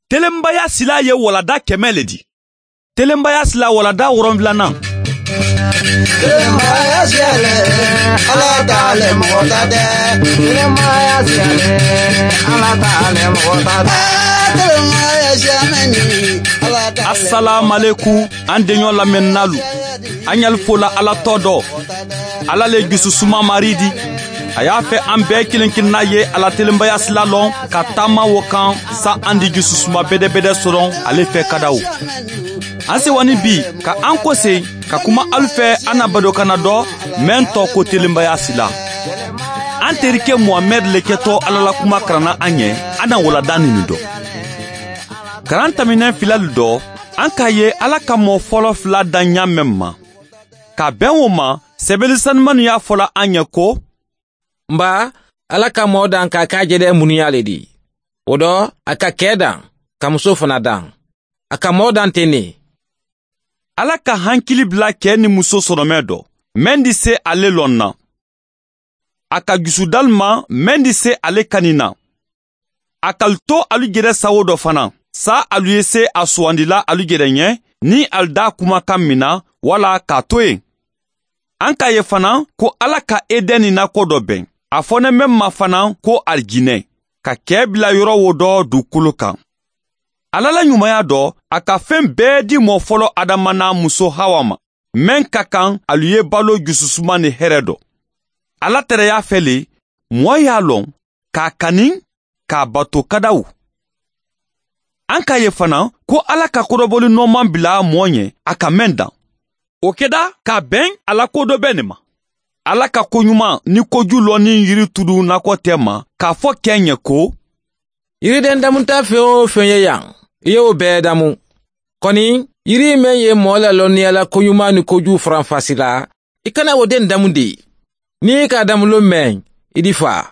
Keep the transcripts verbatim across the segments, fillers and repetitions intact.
Telenbaya sila ye walada kɛmɛ le di. Telenbaya sila walada wɔrɔnfilanan. Telenbaya siyale, Ala t'ale mɔgɔ ta tɛ. Telenbaya siyale, Ala t'ale mɔgɔ ta tɛ. Telenbaya siyamɛni, Ala t'ale. Assalamu an deɲɔ lamɛnnalu. An y'al fola Ala tɔ dɔ. Ala le jususuma mari di. A y'a fɛ an bɛɛ kelen kelenna ye Ala telenbaya sila lɔn ka taama wo kan sa an di jususuma bɛdɛbɛdɛ sɔrɔ ale fɛ kadaw. An sewani bi ka an kɔsen ka kuma alu fɛ an na badokana dɔ mɛn tɔ ko telenbaya sila. An terikɛ Muhamɛd le kɛtɔ Ala la kuma karanna an ɲɛ an na walada nin dɔ. Karan taminɛ filalu dɔ an k'a ye Ala ka mɔɔ fɔlɔ fila dan ɲa mɛn ma. Ka bɛn o ma sɛbɛnni sanumanu y'a fɔla an ɲɛ ko nba Ala ka mɔɔ dan k'a k'a jɛdɛ munuya le di. O dɔ a ka kɛ dan ka muso fana dan. A ka mɔɔ dan ten ne. Ala ka hankili bila kɛ ni muso sɔrɔmɛ dɔ mɛn di se ale lɔn na. A ka jusudal ma mɛn di se ale kani na. A k'al to alu jɛrɛ sawo dɔ fana sa alu ye se a sugandila alu jɛrɛ ɲɛ ni alu da kumakan min na wala k'a to yen. An k'a ye fana ko Ala ka Edɛni nakɔ dɔ bɛn. A fɔnen bɛ ma fana ko alijinɛ ka kɛ bila yɔrɔ wo dɔ dugukolo kan. Ala la ɲumanya dɔ a ka fɛn bɛɛ di mɔɔ fɔlɔ Adama n'a muso Hawa ma mɛn ka kan alu ye balo jususuma ni hɛrɛ dɔ. Ala tɛrɛ y'a fɛ le mɔɔ y'a lɔn k'a kani k'a bato kadaw. An k'a ye fana ko Ala ka kɔrɔbɔli nɔɔman bila mɔɔ ɲɛ a ka mɛn dan. O kɛda k'a bɛn ala ko dɔ bɛ nin ma. Ala ka koɲuman ni koju lɔnni yiri turu nakɔ tɛ ma k'a fɔ kɛ ɲɛ ko yiriden damunta fɛn o fɛn ye yan i y'o bɛɛ damu. Kɔni yiri mɛn ye mɔɔ la lɔnniya la koɲuman ni koju faranfasi la i kana o den damu de. N'i ka damulo mɛn i di fa.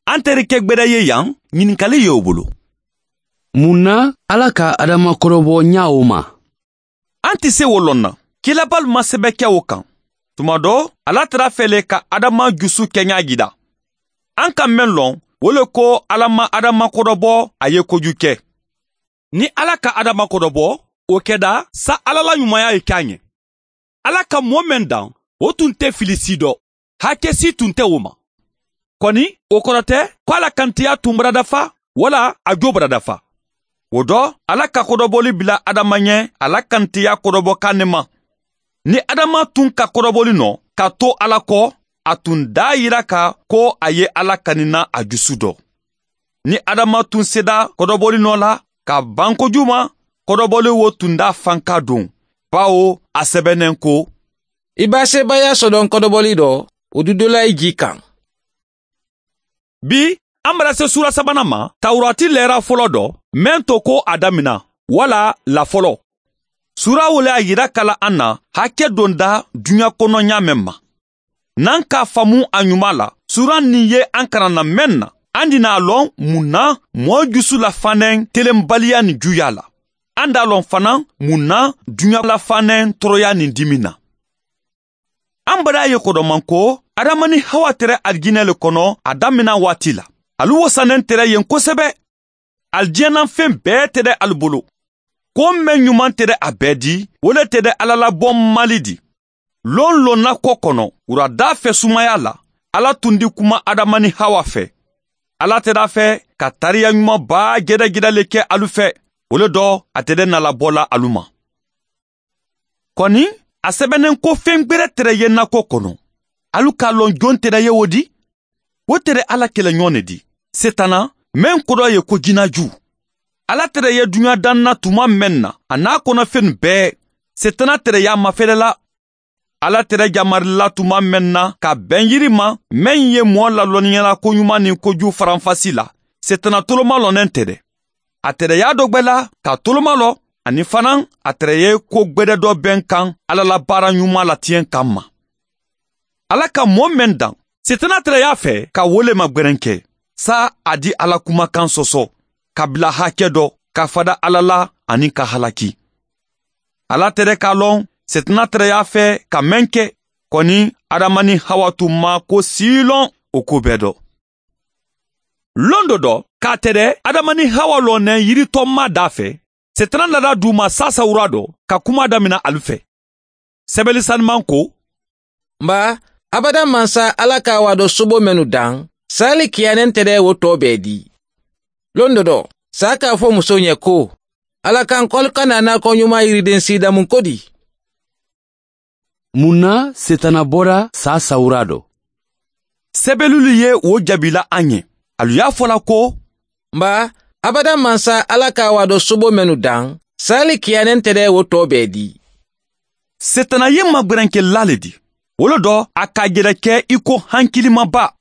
An terikɛ gbɛdɛ ye yan ɲininkali ye o bolo. Mun na Ala ka Adama kɔrɔbɔ ɲa o ma? An tɛ se o lɔn na. Kilabalu ma sɛbɛn kɛ o kan. Tuma dɔ Ala tara fɛ ka Adama jusu kɛɲa jira. An ka mɛn lɔn o le ko Ala ma Adama kɔrɔbɔ a ye koju kɛ. Ni Ala ka Adama kɔrɔbɔ o kɛda sa Ala la ɲumanya ye k'a ɲɛ. Ala ka mɔɔ mɛn dan o tun tɛ fili si dɔ. Hakɛ si tun tɛ o ma. Kɔni o kɔrɔ tɛ ko Ala kantiya tun bara dafa wala a jo bara dafa. O dɔ Ala ka kɔrɔbɔli bila Adama ɲɛ Ala kantiya kɔrɔbɔ kan ne ma. Ni Adama tun ka kɔrɔbɔli nɔ ka to Ala kɔ a tun da yira ka ko a ye Ala kanina a jusu dɔ. Ni Adama tun seda kɔrɔbɔli nɔ la ka ban kojugu ma kɔrɔbɔli wo tun da fanka don bawo a sɛbɛnnen ko i b'a sebaya sɔdɔn kɔrɔbɔli dɔ o dudola i ji kan. Bi an bara se sura sabanan ma Tawurati lɛra fɔlɔ dɔ mɛn to ko a damina wala la fɔlɔ. Sura wo le a yira kala an na hakɛ donda duɲa kɔnɔ ɲa mɛn ma. N'an k'a faamu a ɲuman la sura nin ye an karanna mɛn na an dina a lɔn mun na mɔɔ jusu la fanɛn telenbaliya ni juya la. An d'a lɔn fana mun na duɲa la fanɛn tɔɔrɔya ni dimi na. An bara ye kɔdɔman ko Adama ni Hawa tɛrɛ alijinɛ le kɔnɔ a damina waati la. Alu wasanen tɛrɛ yen kosɛbɛ. Alijinɛ fɛn bɛɛ tɛrɛ alu bolo. Ko mɛn ɲuman tɛrɛ a bɛɛ di o le tɛrɛ Ala la bɔ mali di. Lon lon nakɔ kɔnɔ wurada fɛ sumaya la Ala tun di kuma Adama ni Hawa fɛ. Ala tɛrɛ fɛ ka tariya ɲuman baa gɛrɛgɛrɛ le kɛ alu fɛ o le dɔ a tɛrɛ nala bɔla alu ma. Kɔni a sɛbɛnnen ko fɛn gbɛrɛ tɛrɛ ye nakɔ kɔnɔ. Alu k'a lɔn jɔn tɛrɛ ye o di? O tɛrɛ Ala kɛlɛɲɔgɔn ne di. Setana mɛn kɔrɔ ye ko jinaju. Ala tɛrɛ ye duɲa danna tuma mɛn na a n'a kɔnɔfɛn bɛɛ Setana tɛrɛ y'a mafɛrɛ la. Ala tɛrɛ jamarila tuma mɛn na ka bɛn yiri ma mɛn ye mɔɔ lalɔnniyala koɲuman ni koju faranfasi la. Setana toloma lɔnnen tɛ dɛ. A tɛrɛ y'a dɔ gbɛ la ka toloma lɔ ani fana a tɛrɛ ye ko gbɛdɛ dɔ bɛn kan Ala la baara ɲuman la tiɲɛ kan ma. Ala ka mɔɔ mɛn dan Setana tɛrɛ y'a fɛ ka wole ma gbɛrɛn kɛ sa a di Ala kumakan sɔsɔ ka bila hakɛ dɔ ka fada Ala la ani ka halaki. Ala tɛrɛ k'a lɔn Setana tɛrɛ y'a fɛ ka mɛn kɛ kɔni Adama ni Hawa tun ma ko si lɔn o ko bɛɛ dɔ. Lon dɔ dɔ k'a tɛrɛ Adama ni Hawa lɔnɛ yiritɔma da fɛ, Setana nana d'u ma sasawura dɔ ka kuma damina alu fɛ. Sɛbɛli saniman ko: Nba, abada mansa Ala ka wa dɔ sobo mɛnu dan, sali kiyanen tɛ wo tɔ bɛɛ di. Lon dɔ dɔ, sa k'a fɔ muso ɲɛ ko, Ala kan kɔli kana n'a kɔ ɲuman yiriden si damu ko di? Mun na Setana bɔra sa sawura dɔ? Sɛbɛlilu ye o jaabila an ye. Alu y'a fɔla ko: Nba, abada mansa Ala ka wa dɔ sobo mɛnu dan, sali kiyanen tɛ wo tɔ bɛɛ di. Setana ye magwɛrɛnkɛla le di. Wolo dɔ a ka yɛrɛ kɛ i ko hankilimaba.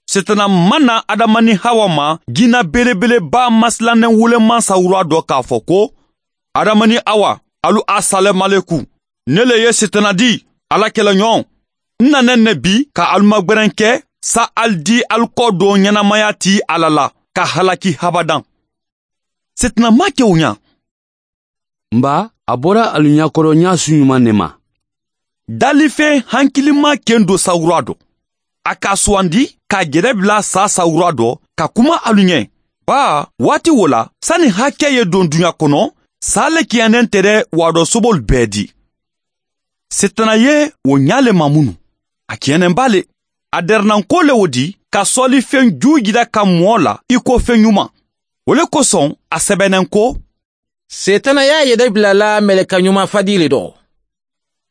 Setana ma na Adama ni Hawa ma jinɛ belebeleba masilannen woloman sawura dɔ k'a fɔ ko: Adama ni Awa, alu asalamaleku. Ne le ye Setana di, Ala kɛlɛɲɔgɔn. N nanen ne bi ka alu magwɛrɛn kɛ sa al di alu kɔ don ɲɛnamaya ti Ala la ka halaki habadan. Setana ma kɛ o ɲa. Nba, a bɔra alu ɲakɔrɔ ɲa su ɲuman ne ma. Dalifɛn hankilima ken do sawura dɔ. A ka suwandi k'a jɛrɛ bila sa sawura dɔ ka kuma alu ɲɛ. Ba, waati wo la, sani hakɛ ye don duɲa kɔnɔ, sa le kiyanen tɛrɛ wadɔ sobol bɛɛ di. Setana ye o ɲa le ma munu. A kiyanen ba le. A dɛrɛnanko le o di ka sɔlifɛn ju jira ka mɔɔ la i ko fɛn ɲuman. O le kosɔn a sɛbɛnnen ko: Setana y'a yɛrɛ bila la mɛlɛka ɲuman fadi le dɔ.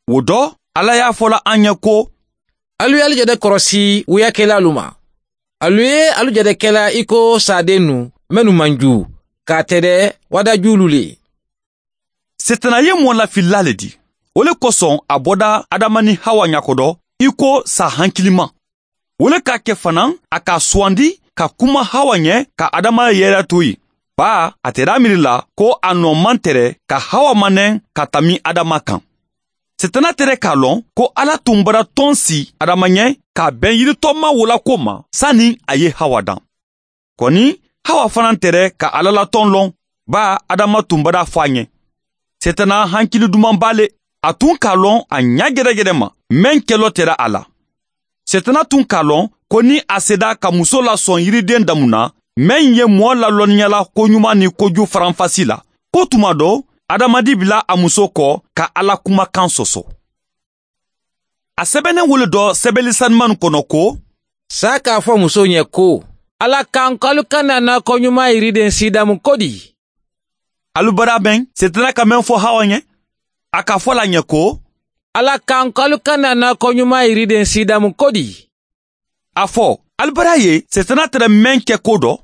O dɔ, Ala y'a fɔla an ɲɛ ko: Alu y'alu jɛdɛ kɔrɔsi wuyakɛlalu ma. Alu ye alu jɛdɛ kɛla i ko saden nu mɛnu man ju, k'a tɛrɛ wadajulu le. Setana ye mɔ lafilila le di. O le kosɔn a bɔda Adama ni Hawa ɲakɔdɔ i ko sa hankilima. O le k'a kɛ fana a k'a suwandi ka kuma Hawa ɲɛ ka Adama yɛrɛ to yen. Ba, a tɛrɛ miiri la ko a nɔ man tɛrɛ ka Hawa manɛ ka tami Adama kan. Setana tɛrɛ k'a lɔn ko Ala tun bara tɔn si Adama ɲɛ k'a bɛn yiritɔma wola ko ma sani a ye Hawa dan. Kɔni, Hawa fana tɛrɛ ka Ala la tɔn lɔn, ba Adama tun bara fɔ a ɲɛ. Setana hankili duman ba le, a tun k'a lɔn a ɲa gɛrɛgɛrɛ ma, mɛn kɛlɔ tɛrɛ a la. Setana tun k'a lɔn ko ni a seda ka muso lasɔn yiriden damu na, mɛn ye mɔɔ lalɔnniyala koɲuman ni koju faranfasi la, ko tuma dɔ, Adamadi bila a muso kɔ ka Ala kumakan sɔsɔ. A sɛbɛnnen wolo dɔ sɛbɛli saniman kɔnɔ ko: Sa k'a fɔ muso ɲɛ ko, Ala kan k'alu kana n'a kɔ ɲuman yiriden si damu ko di? Alu bara bɛn, Setana ka mɛn fɔ Hawa ɲɛ. A k'a fɔ la ɲɛ ko: Ala kan k'alu kana n'a kɔ ɲuman yiriden si damu ko di? A fɔ, alu bara ye Setana tɛrɛ mɛn kɛ ko dɔ.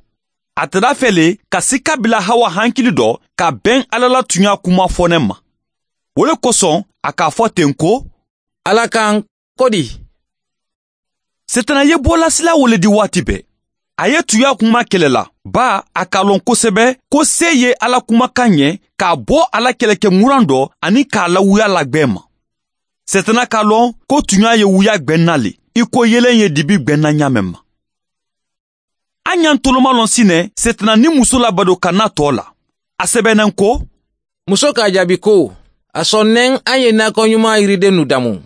A tɛra fɛ le ka sika bila Hawa hankili dɔ ka bɛn Ala la tunya kuma fɔnɛ ma. O le kosɔn a k'a fɔ ten ko: Ala kan ko di? Setana ye bɔlasila wele di waati bɛɛ. A ye tunya kuma kɛlɛ la, ba a k'a lɔn kosɛbɛ ko se ye Ala kumakan ɲɛ k'a bɔ Ala kɛlɛkɛ muran dɔ ani k'a lawuya lagbɛn ma. Setana k'a lɔn ko tunya ye wuya gbɛnna le, i ko yelen ye dibi gbɛnna ɲa mɛn ma. An y'an toloma lɔn sinɛ Setana ni muso labado ka na tɔ la. A sɛbɛnnen ko: Muso k'a jaabi ko, a sɔnnen an ye nakɔ ɲuman yiriden nu damu.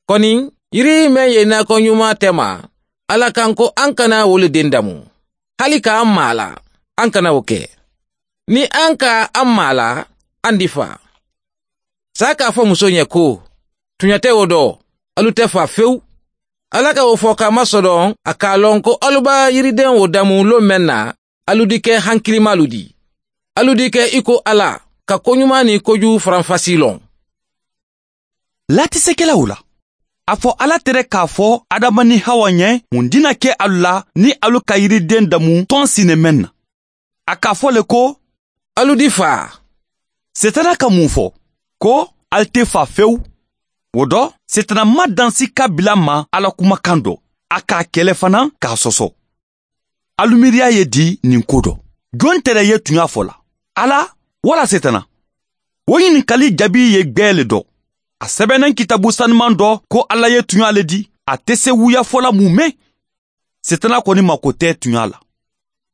Kɔni, yiri mɛn ye nakɔ ɲuman tɛ ma, Ala kan ko an kana o le den damu. Hali k'an maa la, an kana o kɛ. Ni an ka an maa la, an di fa. Sa k'a fɔ muso ɲɛ ko, tuɲa tɛ o dɔ, alu tɛ fa fewu. Ala ka o fɔ k'a masɔrɔ a k'a lɔn ko alu b'a yiriden o damu lon mɛn na, alu di kɛ hankilimalu di. Alu di kɛ i ko Ala, ka koɲuman ni kojugu faranfasi lɔn. Latisekɛlaw la. A fɔ Ala tɛrɛ k'a fɔ Adama ni Hawa ɲɛ mun dina kɛ alu la ni alu ka yiriden damu tɔn sinɛ mɛn na. A k'a fɔ le ko: Alu di fa. Setana ka mun fɔ? Ko alu tɛ fa fewu. O dɔ, Setana ma dansi ka bila ma Ala kumakan dɔ. A k'a kɛlɛ fana k'a sɔsɔ. Alu miiriya ye di nin ko dɔ. Jɔn tɛrɛ ye tunya fɔ la? Ala wala Setana? O ɲininkali jaabi ye gbɛɛ le dɔ. A sɛbɛnnen kitabu saniman dɔ ko Ala ye tunya le di, a tɛ se wuya fɔla mun mɛn. Setana kɔni mako tɛ tunya la.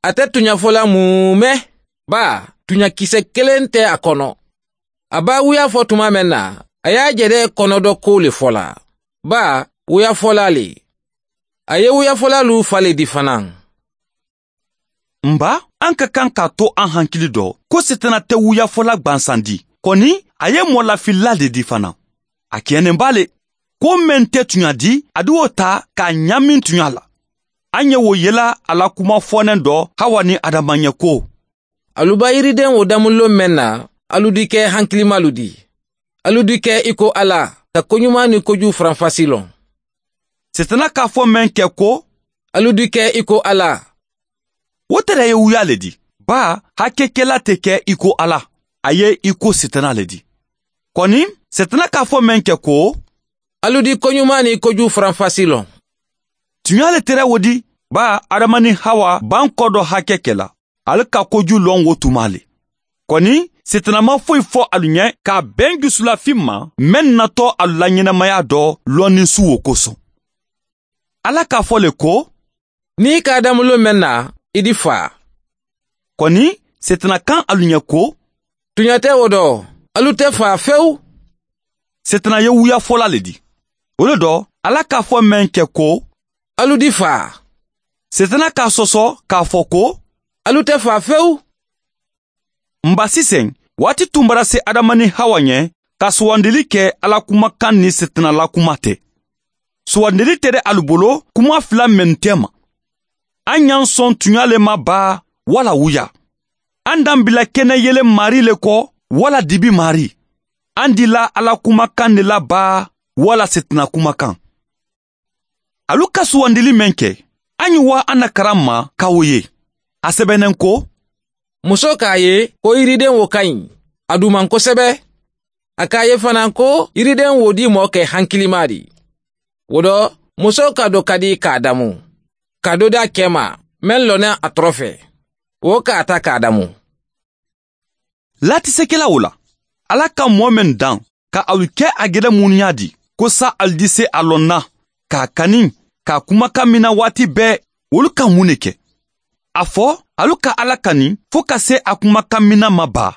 A tɛ tunya fɔla mun mɛn, ba tunyakisɛ kelen tɛ a kɔnɔ. A b'a wuya fɔ tuma mɛn na, a y'a jɛrɛ kɔnɔ dɔ ko le fɔla. Ba wuya fɔla le. A ye wuya fɔla lu fale di fana. Nba an ka kan k'a to an hankili dɔ ko setana tɛ wuyafɔla gwansan di, kɔni a ye mɔlafilila de di fana. A kɛɲɛnen b'a le ko mɛn tɛ tuɲa di, a di o ta k'a ɲamin tuɲa la. An ye wo yela a la kuma fɔnɛn dɔ Hawa ni Adama ɲɛ ko alu ba yiriden wo damulo mɛn na, alu di kɛ hankilimalu di, alu di kɛ i ko Ala ka koɲuman ni kojugu faranfasi lɔn. Setana k'a fɔ mɛn kɛ ko alu di kɛ i ko Ala, o tɛrɛ ye wuya le di, ba hakɛkɛla tɛ kɛ i ko Ala, a ye i ko setana le di. Kɔni setana k'a fɔ mɛn kɛ ko alu di koɲuman ni kojugu faranfasi lɔn. Tuɲa le tɛrɛ wo di, ba Adama ni Hawa ban kɔ dɔ hakɛ kɛla, ale ka kojugu lɔn wo tuma le. Kɔni setana ma foyi fɔ alu ɲɛ k'a bɛn jusulafin ma mɛn natɔ alu la ɲɛnamaya dɔ lɔnni su wo kosɔn. Ala k'a fɔ le ko n'i k'a damulo mɛn na, i di fa. Kɔni setana kan alu ɲɛ ko tuɲa tɛ o dɔ, alu tɛ fa fewu. Setana ye wuya fɔla le di. O le dɔ Ala k'a fɔ mɛn kɛ ko alu di fa. Setana k'a sɔsɔ k'a fɔ ko alu tɛ fa fewu. Nba sisan waati tun bara se Adama ni Hawa ɲɛ ka sugandili kɛ Ala kumakan ni setana la kuma tɛ. Sugandili tɛ dɛ alu bolo kuma fila mɛn tɛ ma. An y'an sɔn tuɲa le ma ba wala wuya. An dan bila kɛnɛ yele mari le kɔ wala dibi mari. An dila Ala kumakan de la ba wala setana kumakan. Alu ka sugandili mɛn kɛ, an ye wa an na karan ma k'aw ye. A sɛbɛnnen ko muso k'a ye ko yiriden wo ka ɲi, a duman kosɛbɛ. A k'a ye fana ko yiriden wo di mɔɔ kɛ hankilima di. O dɔ muso ka dɔ ka di k'a damu, ka dɔ d'a kɛ ma mɛn lɔnna a tɔrɔ fɛ, o k'a ta k'a damu. Latisekɛla o la, Ala ka mɔɔ mɛn dan ka alu kɛ a gɛrɛ muniya di, ko sa alu di se a lɔnna k'a kani k'a kumakan mina waati bɛɛ, olu ka mun de kɛ? A fɔ alu ka Ala kani fo ka se a kumakan mina ma ba.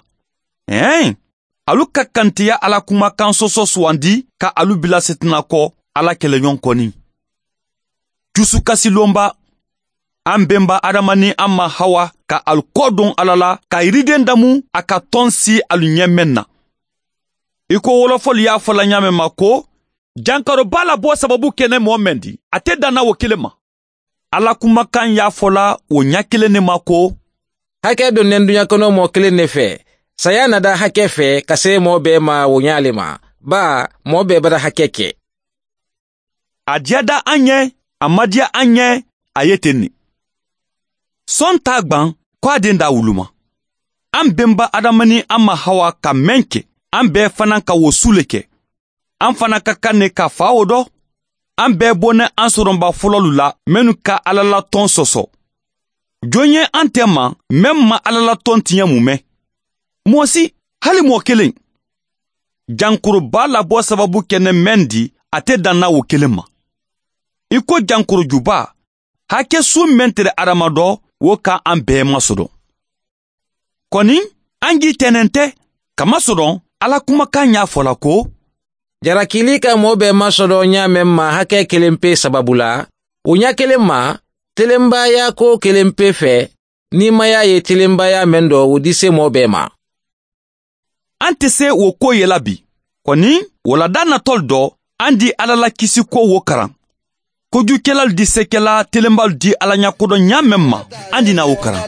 Ɛn, alu ka kantiya Ala kumakan sɔsɔ sugandi ka alu bila setana kɔ Ala kɛlɛɲɔgɔn kɔni. Jusukasilonba, an bɛnba Adama ni an ma Hawa ka alu kɔ don Ala la ka yiriden damu a ka tɔn si alu ɲɛ mɛn na. I ko wolofɔli y'a fɔla ɲa mɛn ma ko jankaroba la bɔ sababu kɛnɛ mɔɔ mɛn di, a tɛ danna o kelen ma. Ala kumakan y'a fɔla o ɲa kelen ne ma ko hakɛ donnen duɲa kɔnɔ mɔɔ kelen ne fɛ, saya nada hakɛ fɛ ka se mɔɔ bɛɛ ma o ɲa le ma, ba mɔɔ bɛɛ bara hakɛ kɛ. A diya da an ɲɛ, a ma diya an ɲɛ, a ye ten ne. Sɔn t'a gwan k'a den d'a wulu ma. An bɛnba Adama ni an ma Hawa ka mɛn kɛ, an bɛɛ fana ka wo su le kɛ. An fana ka kan ne ka fa o dɔ. An bɛɛ bɔnɛ an sɔrɔnba fɔlɔlu la minnu ka Ala la tɔn sɔsɔ. Jɔn ye an tɛ ma mɛn ma Ala la tɔn tiɲɛ mun mɛn? Mɔɔ si, hali mɔɔ kelen. Jankoroba labɔ sababu kɛnɛ mɛn di, a tɛ danna o kelen ma. I ko jankorojuba, hakɛ su mɛn tɛrɛ Adama dɔ, wo ka an bɛɛ masɔrɔ. Kɔni, an k'i tɛnɛn tɛ, kamasɔrɔ Ala kumakan y'a fɔla ko jarakili ka mɔɔ bɛɛ masɔrɔ ɲa mɛn ma hakɛ kelen pe sababu la, o ɲa kelen ma, telenbaya ko kelen pe fɛ, nimaya ye telenbaya mɛn dɔ o di se mɔɔ bɛɛ ma. An tɛ se o ko yela bi. Kɔni, walada natɔl dɔ, an di Ala la kisi ko wo karan. Kojukɛlalu di sekɛla telenbalu di Ala ɲakodɔn ɲa mɛn ma, an di na o karan.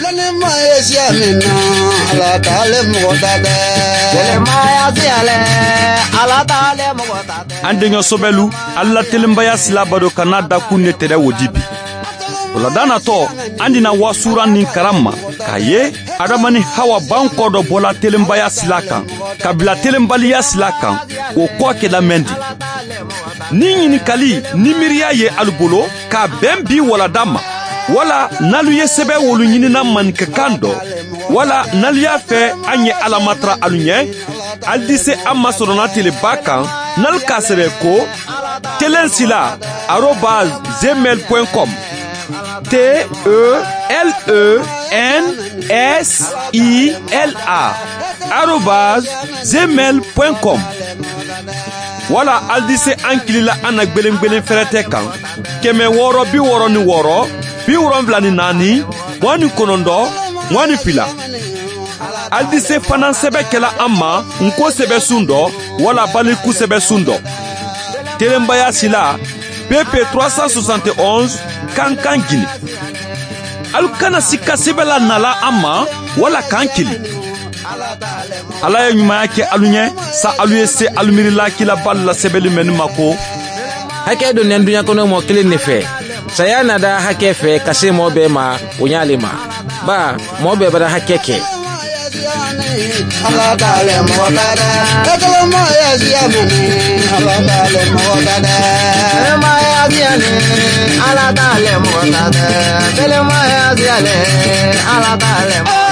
Lɔnnima ye siya min na, Ala t'ale mɔgɔ ta tɛ. Yɛlɛmaya siya lɛ, Ala t'ale mɔgɔ ta tɛ. An denkɛ sɔbɛlu, Ala telenbaya sila bado kana dakun ne tɛrɛ wo di bi. Walada natɔ, an dina wasura ni karan ma, k'a ye Adama ni Hawa ban kɔ dɔ bɔla telenbaya sila kan, ka bila telenbaliya sila kan, o kɔ kɛla mɛn di. Ni ɲininkali ni miiriya ye alu bolo k'a bɛn bi walada ma, wala n'alu ye sɛbɛn wolu ɲinina maninkakan dɔ, wala n'alu y'a fɛ an ye Ala matara alu ɲɛ, alu di se an masɔrɔna teleba kan, n'alu k'a sɛbɛn ko telensila arobase gmail point com, T E L E N S I L A arobase gmail point com. Wala alu di se an kilila an na gwelen-gwelen fɛrɛtɛ kan, kɛmɛ wɔɔrɔ bi wɔɔrɔ ni wɔɔrɔ, bi wolonfila ni naani, mugan ni kɔnɔntɔn mugan ni fila. Alu di se fana sɛbɛ kɛla an ma nko sɛbɛ sun dɔ wala baliku sɛbɛ sun dɔ. Telenbaya sila P P trois cent soixante et onze Kankan Guinée. Alu kana sika sɛbɛ la nala an ma wala k'an kili. Ala ye ɲumanya kɛ alu ɲɛ sa alu ye se alu miirila kilaba la sɛbɛnni mɛnni ma ko hakɛ donnen duɲa kɔnɔ mɔgɔ kelen de fɛ. Saya nada hakɛ fɛ ka se mɔgɔ bɛɛ ma o ɲ'ale ma. Ba mɔgɔ bɛɛ bara hakɛ kɛ. Ala t'ale mɔgɔ ta dɛ. Kelenmaya siya mɛnni, Ala t'ale mɔgɔ ta dɛ. Kelenmaya siya ni, Ala t'ale mɔgɔ ta dɛ. Kelenmaya siya le, Ala t'ale mɔgɔ.